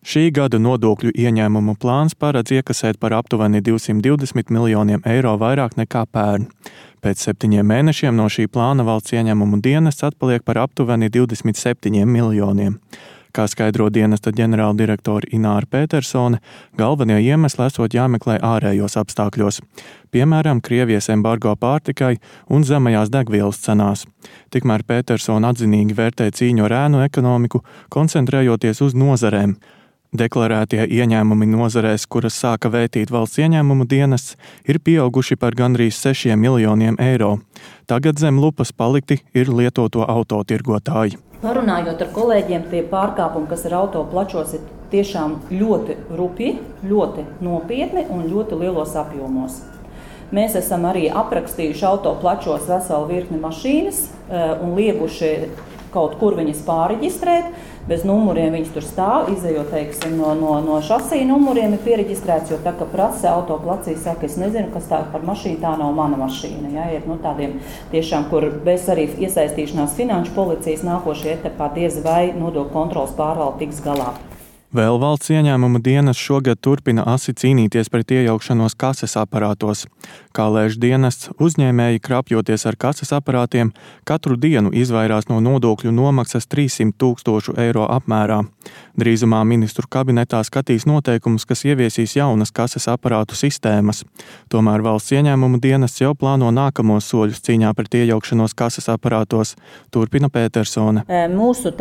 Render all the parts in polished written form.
Šī gada nodokļu ieņēmumu plāns paredz iekasēt par aptuveni 220 miljoniem eiro vairāk nekā pērn. Pēc 7 mēnešiem no šī plāna valsts ieņēmumu dienests atpaliek par aptuveni 27 miljoniem. Kā skaidro dienesta ģenerāldirektora Ināra Petersone, galvenie iemesli esot jāmeklē ārējos apstākļos, piemēram, Krievijas embargo pārtikai un zemajās degvielas cenās. Tikmēr Petersone atzinīgi vērtē cīņu ar ēnu ekonomiku, koncentrējoties uz nozarēm. Deklarētie ieņēmumi nozarēs, kuras sāka vētīt valsts ieņēmumu dienests, ir pieauguši par gandrīz 6 miljoniem eiro. Tagad zem lupas palikti ir lietoto autotirgotāji. Parunājot ar kolēģiem, tie pārkāpumi, kas ir auto plačos, ir tiešām ļoti rupji, ļoti nopietni un ļoti lielos apjomos. Mēs esam arī aprakstījuši auto plačos veselu virkni mašīnas un lieguši kaut kur viņas pārreģistrēt. Bez numuriem viņas tur stāv, izejot, teiksim, no šasija numuriem ir piereģistrēts, jo tā, ka prasa autoplacī saka, es nezinu, kas tā par mašīnu, tā nav mana mašīna. Ja, ir tādiem tiešām, kur bez arī iesaistīšanās finanšu policijas nākošajā etapā diez vai nodokļu kontroles pārvalde tiks galā. Vēl valsts ieņēmuma dienests šogad turpina asi cīnīties pret iejaukšanos kases aparātos. Kā lēš dienests, uzņēmēji krapjoties ar kases aparātiem katru dienu izvairās no nodokļu nomaksas 300 000 eiro apmērā. Drīzumā ministru kabinetā skatīs noteikumus, kas ieviesīs jaunas kases aparātu sistēmas. Tomēr valsts ieņēmuma dienests jau plāno nākamos soļus cīņā pret iejaukšanos kases aparātos, turpina Petersone. Mūsu,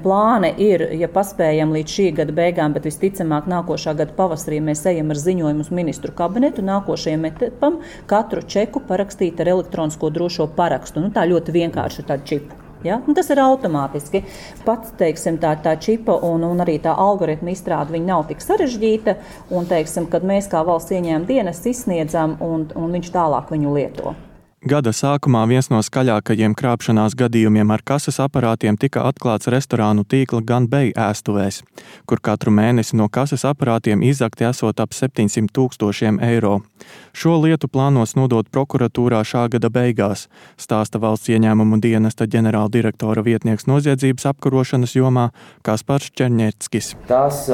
plāni ir, ja paspējam līdz šī gada beigām, bet visticamāk nākošā gada pavasarī mēs ejam ar ziņojumu uz ministru kabinetu nākošajam etapam katru čeku parakstīt ar elektronisko drošo parakstu. Tā ļoti vienkārši tādu čipu. Ja? Tas ir automātiski. Pats, tā čipa un arī tā algoritma izstrāde, viņa nav tik sarežģīta, un, kad mēs kā valsts ieņēmuma dienests izsniedzam, un viņš tālāk viņu lieto. Gada sākumā viens no skaļākajiem krāpšanās gadījumiem ar kases aparātiem tika atklāts restorānu tīkla Ganbei ēstuvēs, kur katru mēnesi no kases aparātiem izzakti esot ap 700 000 eiro. Šo lietu plānos nodot prokuratūrā šā gada beigās, stāsta valsts ieņēmumu dienesta ģenerāldirektora vietnieks noziedzības apkarošanas jomā Kaspars Černieckis. Tās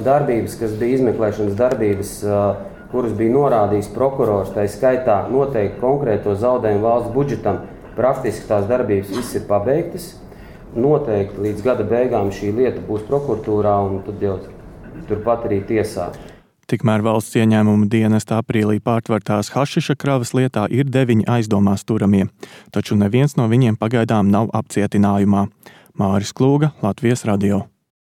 darbības, kas bija izmeklēšanas darbības, kuras bija norādījis prokurors, tā skaitā noteikti konkrēto zaudējumu valsts budžetam, praktiski tās darbības viss ir pabeigtas. Noteikti līdz gada beigām šī lieta būs prokuratūrā un tad jau turpat arī tiesā. Tikmēr valsts ieņēmuma dienesta aprīlī pārtvertās hašiša kravas lietā ir 9 aizdomās turamie, taču neviens no viņiem pagaidām nav apcietinājumā. Māris Klūga, Latvijas radio.